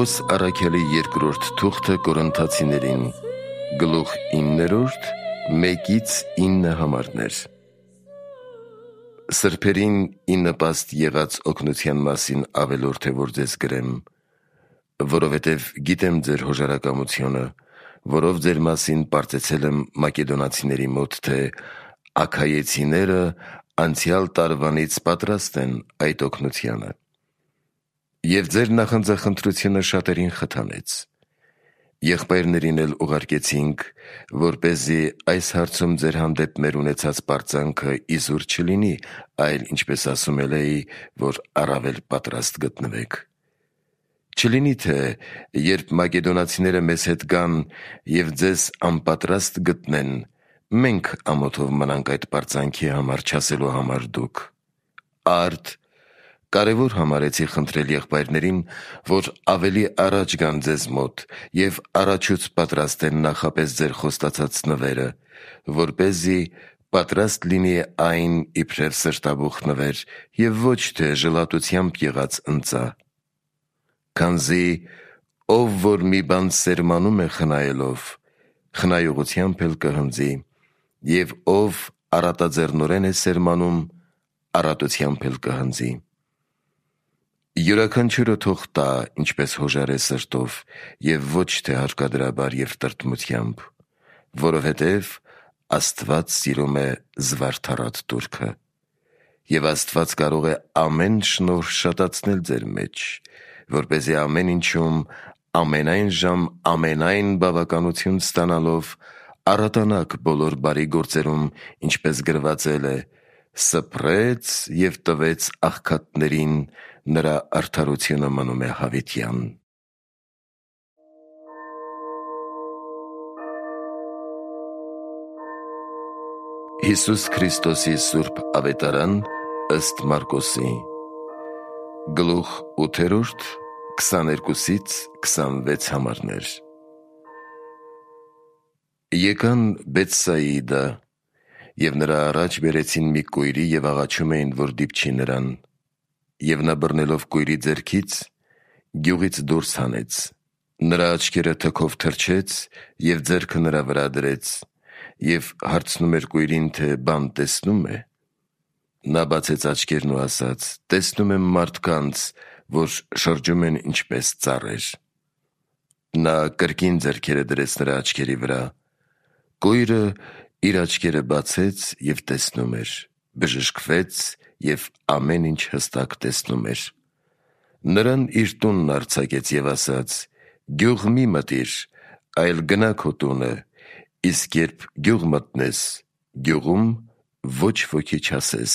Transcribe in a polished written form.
Պողոս առաքյալի երկրորդ թուղթը Կորինթացիներին, գլուխ 9, 1-9 համարներ։ Սրբերին ի նպաստ եղած օգնության մասին ավելորդ է, որ ձեզ գրեմ, որովհետև գիտեմ ձեր հոժարակամությունը, որով ձեր մասին պարծեցել եմ մակեդոնացիների մոտ, թե աքայեցիները անցյալ տարվանից պատրաստ են այդ օգնությանը։ Եվ ձեր նախանձախնդրությունը շատերին խթանեց։ Եղբայրներին էլ ուղարկեցինք, որպեսզի այս հարցում ձեր հանդեպ մեր ունեցած պարծանքը իզուր չլինի, այլ, ինչպես ասում էի, որ առավել պատրաստ գտնվեք։ Չլինի, թե երբ մակեդոնացիները մեզ հետ գան և ձեզ անպատրաստ գտնեն, մենք ամոթով մնանք այդ պարծանքի համար չասելու համար դուք։ Արդ կարևոր համարեցի խնդրել եղբայրներին, որ ավելի առաջ գան ձեզ մոտ և առաջուց պատրաստեն նախապես ձեր խոստացած նվերը, որպեսզի պատրաստ լինի այն իբրև սրտաբուխ նվեր և ոչ թե ժլատությամբ եղած ընծա։ Քանզի ով որ մի բան սերմանում է խնայելով, խնայողությամբ էլ կհնձի, և ով առատաձեռնորեն է սերմանում, առատությամբ էլ կհնձի։ Յուրաքանչյուրը թող տա, ինչպես հոժար է սրտով, և ոչ թե հարկադրաբար և տրտմությամբ, որովհետև Աստված սիրում է զվարթառատ տուրքը։ Եվ Աստված կարող է ամեն շնորհ շատացնել ձեր մեջ, որպեսզի ամեն ինչում ամենայն ժամ ամենայն բավականություն ստանալով առատանաք բոլոր բարի գործերում, ինչպես գրվածել է. «Սփռեց և տվեց աղքատներին, նրա արդարությունը մնում է հավիտյան»։ Հիսուս Քրիստոսի սուրբ ավետարան ըստ Մարկոսի, գլուխ 8, 22-26 համարներ։ Եկան Բեթսայիդա, և նրա առաջ բերեցին մի կույրի և աղաչում էին, որ դիպչի նրան։ Եվ նա բռնելով կույրի ձեռքից, գյուղից դուրս հանեց, նրա աչքերը թքով թրջեց և ձեռքը նրա վրա դրեց, և հարցնում էր կույրին, թե բան տեսնո՞ւմ է։ Նա բացեց աչքերն ու ասաց. «Տեսնում եմ մարդկանց, որ շրջում են ինչպես ծառեր»։ Նա կրկին ձեռքերը դրեց նրա աչքերի վրա։ Կույրը իր աչքերը բացեց և տեսնում էր, բժշկվեց և ամեն ինչ հստակ տեսնում էր։ Նրան իր տունն արձակեց և ասաց. «Գյուղ մի մտիր, այլ գնա քո տունը, իսկ երբ գյուղ մտնես, գյուղում ոչ ոքի չասես,